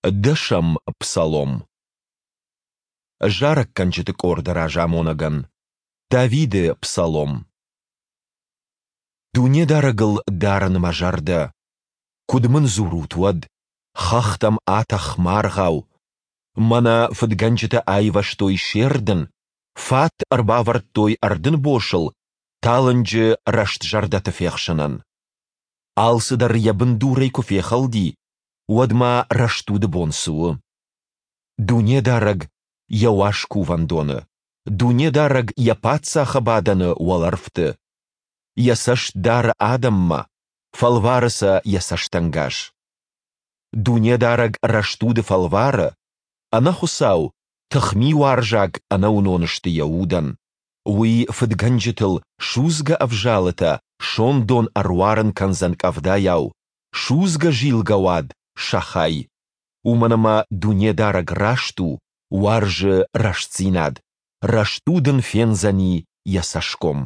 Дӕсӕм псалом. Зарӕггӕнджыты къорды разамонӕгӕн. Давиды псалом. Дунедарӕгыл дарын мӕ зӕрдӕ. Куыд мын дзурут уӕд: «Хӕхтӕм атӕх маргъау!» Мӕнӕ фыдгӕнджытӕ айвӕзтой се рдын, фат ӕрбавӕрдтой ӕрдынбосыл талынджы рӕстзӕрдӕты фехсынӕн. Алцыдӕр йӕ бындурӕй куы фехӕлди, уӕд ма рӕстуды бон цы у? Дунедарӕг йӕ уаз кувӕндоны, Дунедарӕг йӕ паддзахы бадӕны уӕлӕрвты. Йӕ цӕст дары адӕммӕ, фӕлвары сӕ йӕ цӕстӕнгас. Дунедарӕг рӕстуды фӕлвары, ӕнӕхуыцау, тыхмиуарзаг ӕнӕуынон сты йӕ удӕн. Уый фыдгӕнджытыл судзгӕ ӕвзалытӕ сондон ӕруарын кӕндзӕн къӕвдайау, судзгӕ зилгӕ уад сӕ хай. Уымӕн ӕмӕ Дунедарӕг раст у, уарзы рӕстдзинад, рӕстуд ын фендзӕни йӕ цӕсгом.